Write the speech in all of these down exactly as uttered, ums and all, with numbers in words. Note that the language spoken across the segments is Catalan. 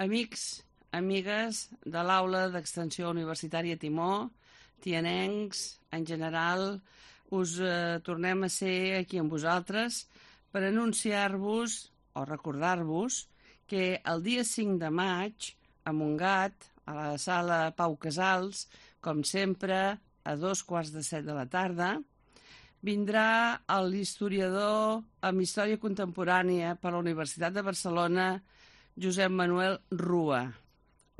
Amics, amigues de l'Aula d'Extensió Universitària Timó, tianencs, en general, us eh, tornem a ser aquí amb vosaltres per anunciar-vos o recordar-vos que el dia cinc de maig, a Montgat, a la sala Pau Casals, com sempre, a dos quarts de set de la tarda, vindrà l'historiador amb Història Contemporània per la Universitat de Barcelona, Josep Manuel Rua.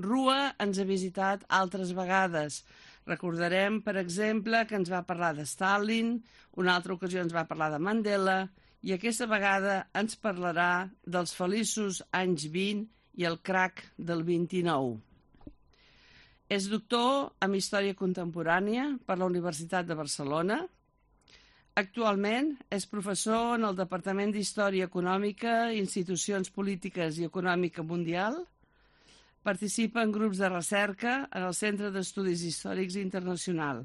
Rua ens ha visitat altres vegades. Recordarem, per exemple, que ens va parlar de Stalin, una altra ocasió ens va parlar de Mandela, i aquesta vegada ens parlarà dels feliços anys vint i el crac del vint-i-nou. És doctor en Història Contemporània per la Universitat de Barcelona. Actualment és professor en el Departament d'Història Econòmica, Institucions Polítiques i Econòmica Mundial. Participa en grups de recerca en el Centre d'Estudis Històrics Internacional.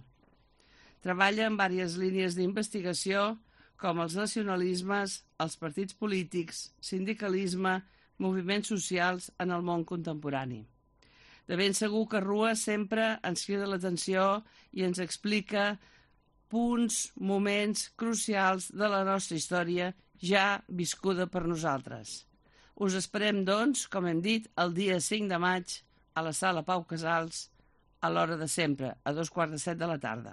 Treballa en diverses línies d'investigació com els nacionalismes, els partits polítics, sindicalisme, moviments socials en el món contemporani. De ben segur que Rua sempre ens crida l'atenció i ens explica punts, moments crucials de la nostra història ja viscuda per nosaltres. Us esperem, doncs, com hem dit, el dia cinc de maig a la sala Pau Casals a l'hora de sempre, a dos quarts de set de la tarda.